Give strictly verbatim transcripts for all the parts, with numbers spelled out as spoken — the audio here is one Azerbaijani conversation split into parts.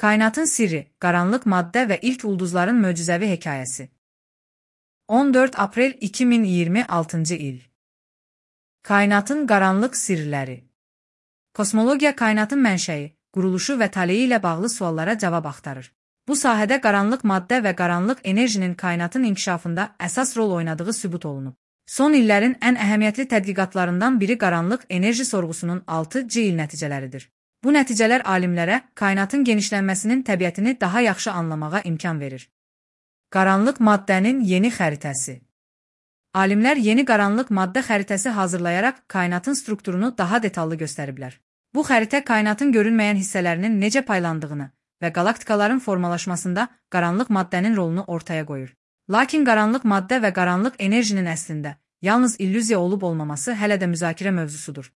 Kainatın sirri, qaranlıq maddə və ilk ulduzların möcüzəvi hekayəsi. on dörd aprel iki min iyirmi altıncı il. Kainatın qaranlıq sirləri. Kosmologiya kainatın mənşəyi, quruluşu və taleyi ilə bağlı suallara cavab axtarır. Bu sahədə qaranlıq maddə və qaranlıq enerjinin kainatın inkişafında əsas rol oynadığı sübut olunub. Son illərin ən əhəmiyyətli tədqiqatlarından biri qaranlıq enerji sorğusunun altı C il nəticələridir. Bu nəticələr alimlərə kainatın genişlənməsinin təbiətini daha yaxşı anlamağa imkan verir. Qaranlıq maddənin yeni xəritəsi. Alimlər yeni qaranlıq maddə xəritəsi hazırlayaraq kainatın strukturunu daha detallı göstəriblər. Bu xəritə kainatın görünməyən hissələrinin necə paylandığını və qalaktikaların formalaşmasında qaranlıq maddənin rolunu ortaya qoyur. Lakin qaranlıq maddə və qaranlıq enerjinin əslində yalnız illüziya olub olmaması hələ də müzakirə mövzusudur.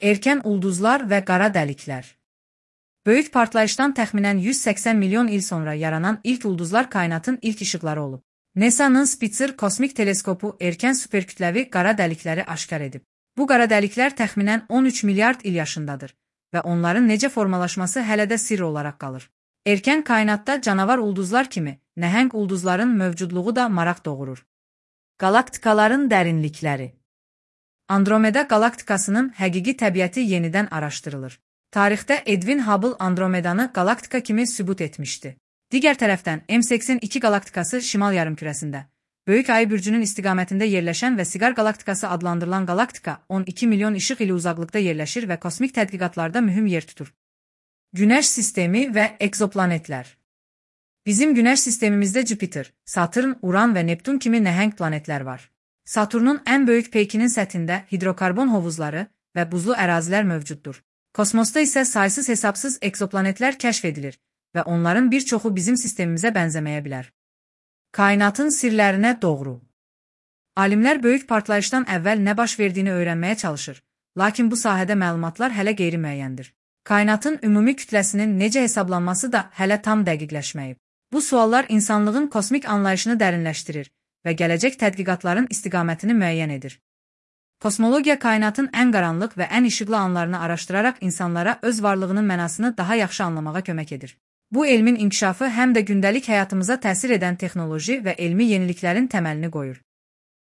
Erkən ulduzlar və qara dəliklər. Böyük partlayışdan təxminən yüz səksən milyon il sonra yaranan ilk ulduzlar kainatın ilk işıqları olub. NASA'nın Spitzer kosmik teleskopu erkən superkütləvi qara dəlikləri aşkar edib. Bu qara dəliklər təxminən on üç milyard il yaşındadır və onların necə formalaşması hələ də sirr olaraq qalır. Erkən kainatda canavar ulduzlar kimi nəhəng ulduzların mövcudluğu da maraq doğurur. Qalaktikaların dərinlikləri. Andromeda qalaktikasının həqiqi təbiəti yenidən araşdırılır. Tarixdə Edwin Hubble Andromedanı qalaktika kimi sübut etmişdi. Digər tərəfdən M səksən iki qalaktikası şimal yarımkürəsində, Böyük Ayı bürcünün istiqamətində yerləşən və Siqar qalaktikası adlandırılan qalaktika on iki milyon işıq ili uzaqlıqda yerləşir və kosmik tədqiqatlarda mühüm yer tutur. Günəş sistemi və egzoplanetlər. Bizim Günəş sistemimizdə Jüpiter, Saturn, Uran və Neptun kimi nəhəng planetlər var. Saturnun ən böyük peykinin səthində hidrokarbon hovuzları və buzlu ərazilər mövcuddur. Kosmosda isə saysız hesabsız egzoplanetlər kəşf edilir və onların bir çoxu bizim sistemimizə bənzəməyə bilər. Kainatın sirlərinə doğru. Alimlər böyük partlayışdan əvvəl nə baş verdiyini öyrənməyə çalışır, lakin bu sahədə məlumatlar hələ qeyri-müəyyəndir. Kainatın ümumi kütləsinin necə hesablanması da hələ tam dəqiqləşməyib. Bu suallar insanlığın kosmik anlayışını dərinləşdirir və gələcək tədqiqatların istiqamətini müəyyən edir. Kosmologiya kainatın ən qaranlıq və ən işıqlı anlarını araşdıraraq insanlara öz varlığının mənasını daha yaxşı anlamağa kömək edir. Bu elmin inkişafı həm də gündəlik həyatımıza təsir edən texnoloji və elmi yeniliklərin təməlini qoyur.